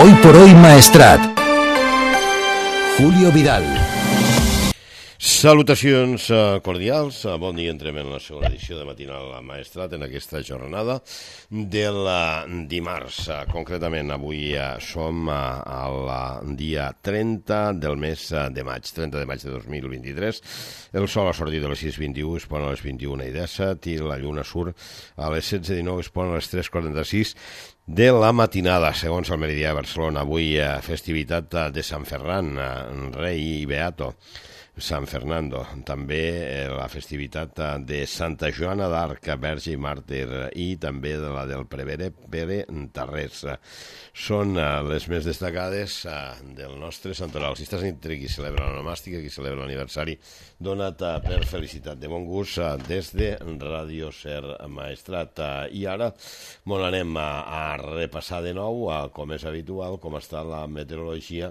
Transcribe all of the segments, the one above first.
Hoy por hoy Maestrat. Julio Vidal. Salutacions cordials, bon dia, entrem en la segona edició de Matinal Maestrat en aquesta jornada del dimarts. Concretament avui som al dia 30 del mes de maig, 30 de maig de 2023. El sol ha sortit a les 6:21, es pon a les 21:17 i la lluna surt a les 16:19, es pon a les 3:46 de la matinada, segons el Meridià de Barcelona. Avui festivitat de Sant Ferran, rei i beato. Sant Fernando, també la festivitat de Santa Joana d'Arc, verge i màrtir, i també de la del prevere Pere Tarrés. Són les més destacades del nostre santoral. Si estàs entre qui celebra l'onomàstica, qui celebra l'aniversari, donat per felicitat de bon gust des de Ràdio Ser Maestrat. I ara molt anem a repassar de nou, com és habitual, com està la meteorologia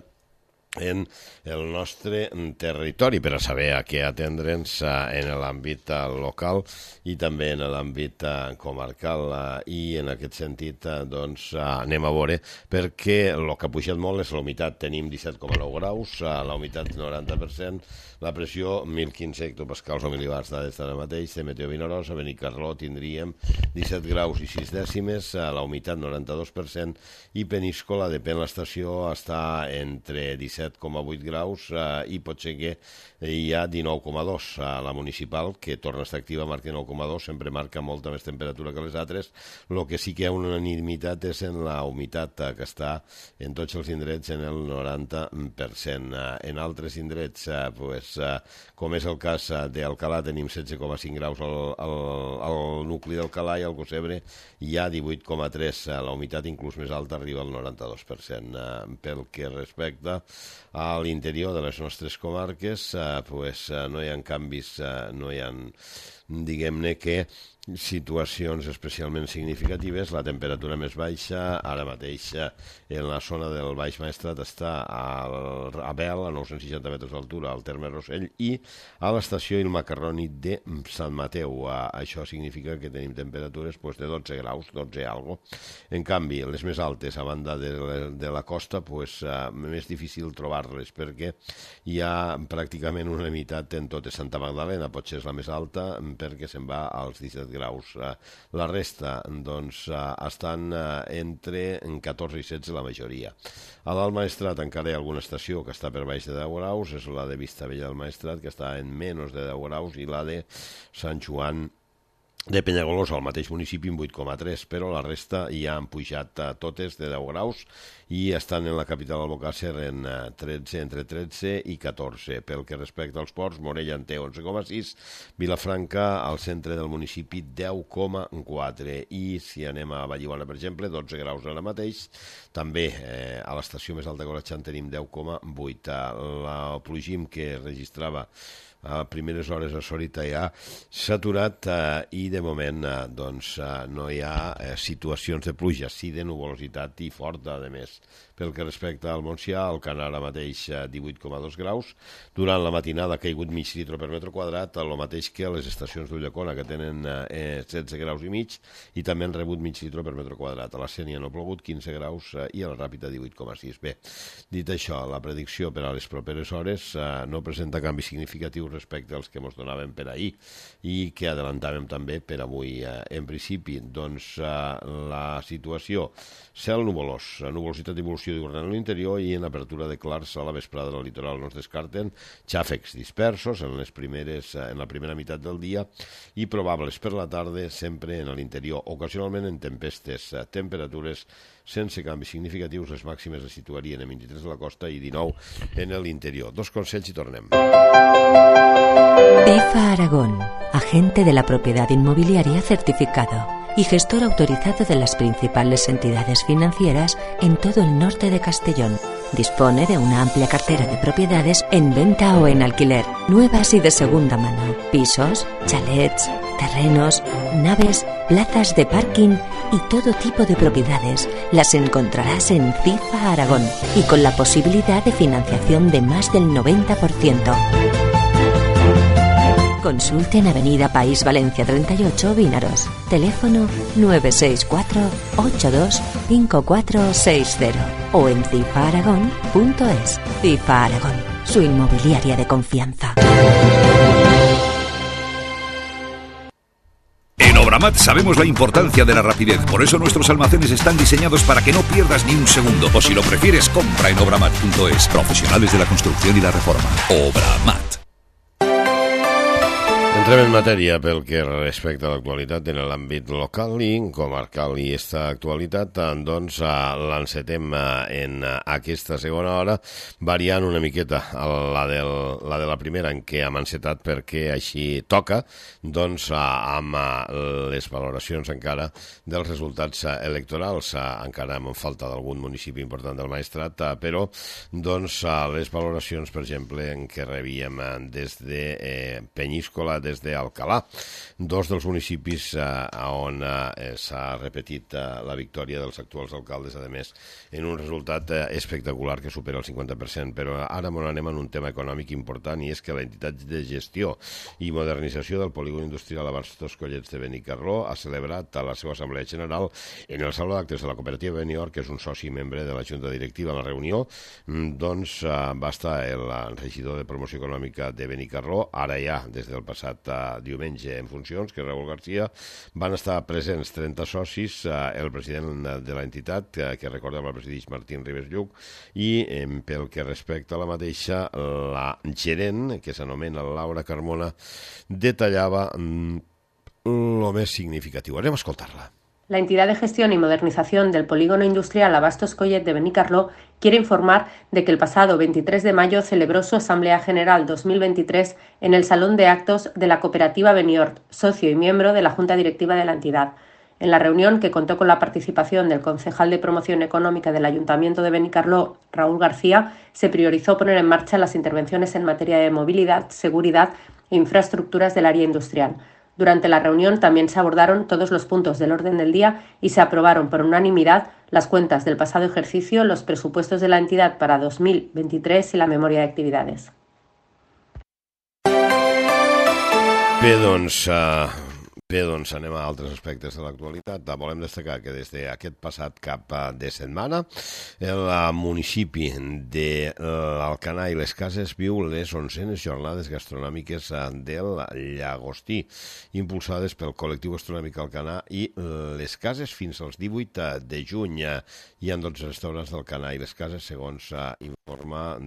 en el nostre territori per a saber a què atendre'ns en l'àmbit local i també en l'àmbit comarcal, i en aquest sentit doncs anem a veure, perquè el que ha pujat molt és la humitat. Tenim 17,9 graus, la humitat 90%, la pressió 1.015 hectopascals o mil·libars, dades d'ara mateix. De Meteo Vinaròs, a Benicarló tindríem 17 graus i 6 dècimes, la humitat 92%, i Peníscola, depèn l'estació, està entre 17,8 graus i pot ser que hi ha 19,2. La municipal, que torna a estar activa, marca 9,2, sempre marca molta més temperatura que les altres. El que sí que hi ha una unanimitat és en la humitat, que està en tots els indrets en el 90%. En altres indrets, com és el cas d'Alcalà, tenim 16,5 graus al nucli d'Alcalà, i al Gossebre hi ha 18,3. La humitat inclús més alta arriba al 92%. Pel que respecta a l'interior de les nostres comarques, no hi ha canvis, no hi ha, diguem-ne que, situacions especialment significatives. La temperatura més baixa ara mateix en la zona del Baix Maestrat està a Bel, a 960 metres d'altura, al terme Rossell, i a l'estació Il Macarroni de Sant Mateu. Això significa que tenim temperatures de 12 graus, 12 algo. En canvi, les més altes, a banda de la costa, més difícil trobar-les, perquè hi ha pràcticament una unanimitat en totes. Santa Magdalena potser és la més alta, perquè se'n va als 17 graus. La resta, doncs, estan entre 14 i 16 la majoria. A l'Alt Maestrat encara hi ha alguna estació que està per baix de 10 graus, és la de Vistabella del Maestrat, que està en menys de 10 graus, i la de Sant Joan de Penyagolosa, al mateix municipi, en 8,3, però la resta ja han pujat totes de 10 graus i estan en la capital Albocàsser entre 13 i 14. Pel que respecta als ports, Morella en té 11,6, Vilafranca, al centre del municipi, 10,4, i si anem a Vallibona, per exemple, 12 graus ara mateix. També a l'estació més alta que Collatxant tenim 10,8. El plogim que registrava a primeres hores a Sorita ja s'ha aturat, i de moment no hi ha situacions de pluja, sí de nuvolositat i forta, a més. Pel que respecta al Montsià, el Canà ara mateix 18,2 graus. Durant la matinada ha caigut mig litre per metre quadrat, el mateix que les estacions d'Ullacona, que tenen 16 graus i mig, i també han rebut mig litre per metre quadrat. A la Sénia no ha plogut, 15 graus, i a la Ràpita 18,6. Bé, dit això, la predicció per a les properes hores no presenta canvis significatius respecte als que ens donàvem per ahir i que adelantàvem també per avui. En principi, doncs, la situació, cel nuvolós, nuvolositat d'evolució diurna en l'interior, i en apertura de clars a la vesprada del litoral. No es descarten xàfecs dispersos en la primera meitat del dia i probables per la tarda, sempre en l'interior, ocasionalment en tempestes. Temperatures sense canvis significatius, les màximes es situarien en 23 a la costa i 19 en l'interior. Dos consells i tornem. EFA Aragón, agente de la propiedad inmobiliaria certificado y gestor autorizado de las principales entidades financieras en todo el norte de Castellón. Dispone de una amplia cartera de propiedades en venta o en alquiler, nuevas y de segunda mano, pisos, chalets, terrenos, naves, plazas de parking y todo tipo de propiedades. Las encontrarás en CIFA Aragón y con la posibilidad de financiación de más del 90%. Consulte en Avenida País Valencia 38, Vínaros. Teléfono 964 82 5460 o en cifaaragón.es. Cifa Aragón, su inmobiliaria de confianza. En Obramat sabemos la importancia de la rapidez, por eso nuestros almacenes están diseñados para que no pierdas ni un segundo. O si lo prefieres, compra en obramat.es. Profesionales de la construcción y la reforma. Obramat. Entrem en matèria pel que respecta a l'actualitat en l'àmbit local i comarcal, i aquesta actualitat doncs l'encetem en aquesta segona hora variant una miqueta la de la primera, en què hem encetat perquè així toca, doncs amb les valoracions encara dels resultats electorals. Encara em falta d'algun municipi important del Maestrat, però doncs les valoracions, per exemple, en què rebíem des de Penyíscola, des d'Alcalà, dos dels municipis on s'ha repetit la victòria dels actuals alcaldes, a més, en un resultat espectacular que supera el 50%. Però ara m'on anem en un tema econòmic important, i és que l'entitat de gestió i modernització del polígon industrial Abastos Collets de Benicarló ha celebrat a la seva assemblea general en el saló d'actes de la cooperativa Benior, que és un soci membre de la Junta Directiva. En la reunió doncs va estar el regidor de promoció econòmica de Benicarló, ara ja des del passat diumenge en funcions, que és Raúl García. Van estar presents 30 socis, el president de l'entitat, que recordem el presideix Martín Ribes Lluc, i pel que respecta a la mateixa, la gerent, que s'anomena Laura Carmona, detallava lo més significatiu. Anem a escoltar-la. La entidad de gestión y modernización del polígono industrial Abastos Collet de Benicarló quiere informar de que el pasado 23 de mayo celebró su Asamblea General 2023 en el Salón de Actos de la cooperativa Beniort, socio y miembro de la Junta Directiva de la entidad. En la reunión, que contó con la participación del concejal de Promoción Económica del Ayuntamiento de Benicarló, Raúl García, se priorizó poner en marcha las intervenciones en materia de movilidad, seguridad e infraestructuras del área industrial. Durante la reunión también se abordaron todos los puntos del orden del día y se aprobaron por unanimidad las cuentas del pasado ejercicio, los presupuestos de la entidad para 2023 y la memoria de actividades. Bé, doncs anem a altres aspectes de l'actualitat. Volem destacar que des d'aquest passat cap de setmana el municipi de l'Alcanar i les Cases viu les 11enes jornades gastronòmiques del Llagostí, impulsades pel col·lectiu gastronòmic Alcanar i les Cases fins als 18 de juny. Hi ha 12 restaurants d'Alcanar i les Cases, segons s'informa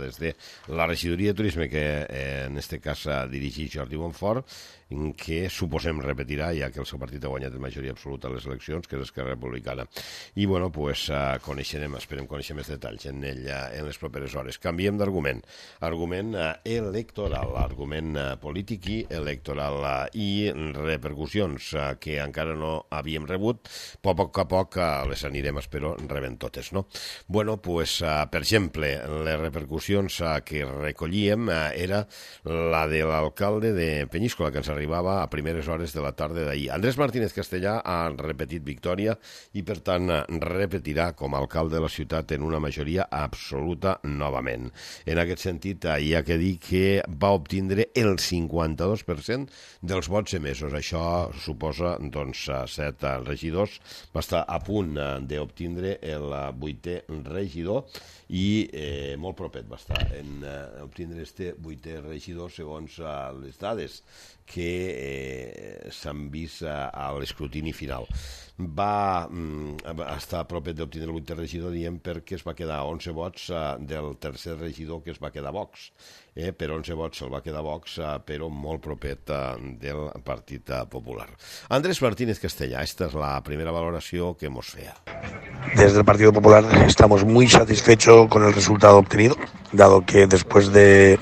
des de la regidoria de turisme, que en aquest cas dirigeix Jordi Bonfort, que suposem repetirà, ja que el seu partit ha guanyat en majoria absoluta a les eleccions, que és Esquerra Republicana. I, bueno, pues esperem conèixer més detalls en les properes hores. Canviem d'argument. Argument electoral, argument polític i electoral, i repercussions que encara no havíem rebut. A poc a poc les anirem, espero, rebent totes, no? Bueno, pues, per exemple, les repercussions que recollíem era la de l'alcalde de Penyíscola, que ens arribava a primeres hores de la tarda d'ahir. Andrés Martínez Castellà ha repetit victòria i, per tant, repetirà com a alcalde de la ciutat en una majoria absoluta novament. En aquest sentit, hi ha que dir que va obtindre el 52% dels vots emesos. Això suposa, doncs, 7 regidors. Va estar a punt d'obtindre el 8è regidor i molt propet va estar en obtindre este 8è regidor, segons les dades que s'han vist a l'escrutini final. Va estar a propet d'obtenir el 8è regidor, diem, perquè es va quedar 11 vots del tercer regidor, que es va quedar Vox. Per 11 vots se'l va quedar Vox, però molt propet del Partit Popular. Andrés Martínez Castellà, esta es la primera valoració que hemos feia. Desde el Partido Popular estamos muy satisfechos con el resultado obtenido, dado que después de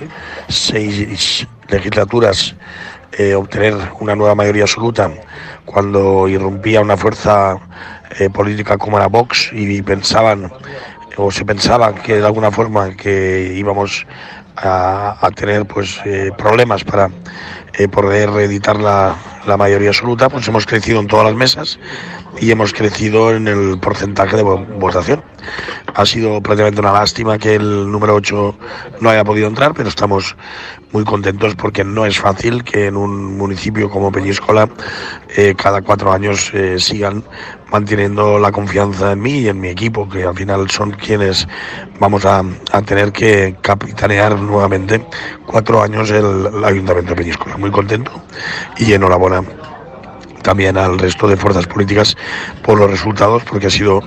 6 legislaturas obtener una nueva mayoría absoluta cuando irrumpía una fuerza política como era Vox y pensaban o se pensaba que de alguna forma que íbamos a tener pues problemas para poder reeditar la mayoría absoluta, pues hemos crecido en todas las mesas y hemos crecido en el porcentaje de votación. Ha sido prácticamente una lástima que el número 8 no haya podido entrar, pero estamos muy contentos porque no es fácil que en un municipio como Peñíscola cada 4 años sigan manteniendo la confianza en mí y en mi equipo, que al final son quienes vamos a tener que capitanear nuevamente 4 años el Ayuntamiento de Peñíscola. Muy contento y enhorabuena también al resto de fuerzas políticas por los resultados, porque ha sido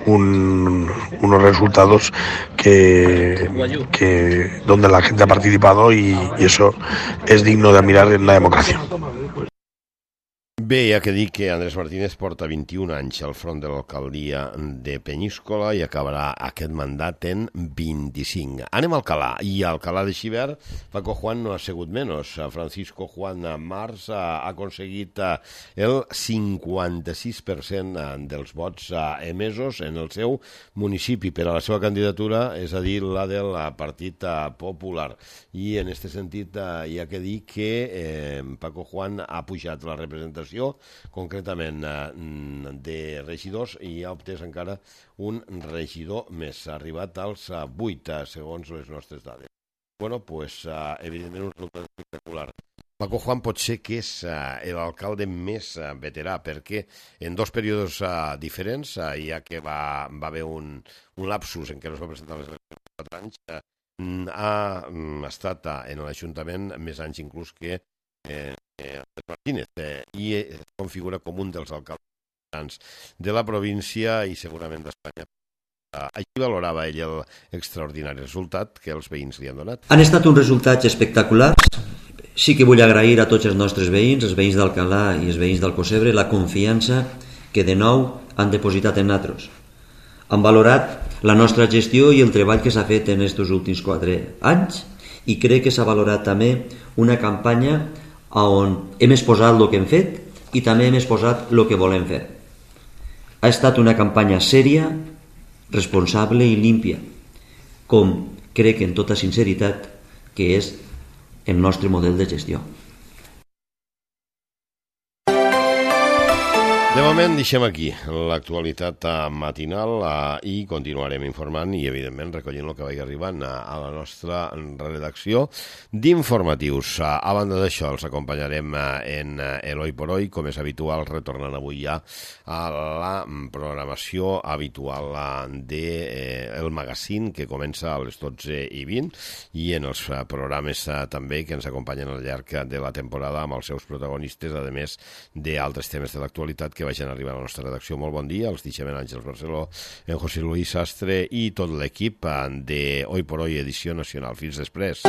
unos resultados que donde la gente ha participado y eso es digno de admirar en la democracia. Bé, hi ha que dir que Andrés Martínez porta 21 anys al front de l'alcaldia de Peñíscola i acabarà aquest mandat en 25. Anem a Alcalà, i a Alcalà de Xivert, Paco Juan no ha sigut menys. Francisco Juan Mars ha aconseguit el 56% dels vots emesos en el seu municipi per a la seva candidatura, és a dir, la del Partit Popular. I en aquest sentit hi ha que dir que Paco Juan ha pujat la representació, concretament de regidors, i ha obtès encara un regidor més. Ha arribat als 8, segons les nostres dades. Bueno, pues, evidentment, un resultat espectacular. Paco Juan pot ser que és l'alcalde més veterà, perquè en 2 períodes diferents, ja que va haver un lapsus en què no es va presentar les 4 anys, ha estat en l'Ajuntament més anys inclús que Martínez, i es configura com un dels alcaldes de la província i segurament d'Espanya. Així valorava ell l'extraordinari resultat que els veïns li han donat. Han estat uns resultats espectaculars. Sí que vull agrair a tots els nostres veïns, els veïns d'Alcalà i els veïns d'Alcocebre, la confiança que de nou han depositat en nosaltres. Han valorat la nostra gestió i el treball que s'ha fet en aquests últims 4 anys, i crec que s'ha valorat també una campanya on hem exposat el que hem fet i també hem exposat el que volem fer. Ha estat una campanya sèria, responsable i límpia, com crec en tota sinceritat que és el nostre model de gestió. De moment deixem aquí l'actualitat matinal i continuarem informant i, evidentment, recollint el que vagi arribant a la nostra redacció d'informatius. A banda d'això, els acompanyarem en l'Hoy por Hoy, com és habitual, retornant avui ja a la programació habitual del magazín, que comença a les 12:20, i en els programes també que ens acompanyen al llarg de la temporada amb els seus protagonistes, a més d'altres temes de l'actualitat que vagin arribar a la nostra redacció. Molt bon dia, els deixem en Àngels Barceló, en José Luis Sastre i tot l'equip de Hoy por Hoy edició nacional. Fins després.